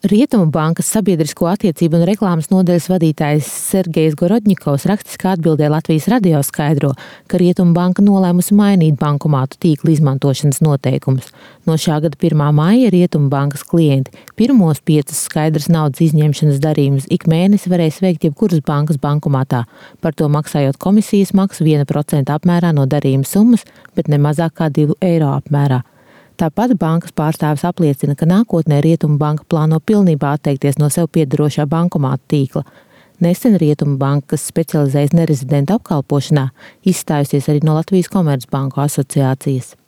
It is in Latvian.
Rietumu bankas sabiedrisko attiecību un reklāmas nodaļas vadītājs Sergejs Gorodņikovs rakstiskā atbildē Latvijas radio skaidro, ka Rietumu banka nolēmusi mainīt bankomātu tīkla izmantošanas noteikumus. No šā gada 1. maija Rietumu bankas klienti pirmos 5 skaidras naudas izņemšanas darījumus ik mēnesi varēs veikt jebkuras bankas bankomātā, par to maksājot komisijas maksu 1% apmērā no darījuma summas, bet ne mazāk kā 2 eiro apmērā. Tāpat bankas pārstāvis apliecina, ka nākotnē Rietumu banka plāno pilnībā atteikties no sev piederošā bankomātu tīkla. Nesen Rietumu banka, kas specializējas nerezidentu apkalpošanā, izstājusies arī no Latvijas Komercbanku asociācijas.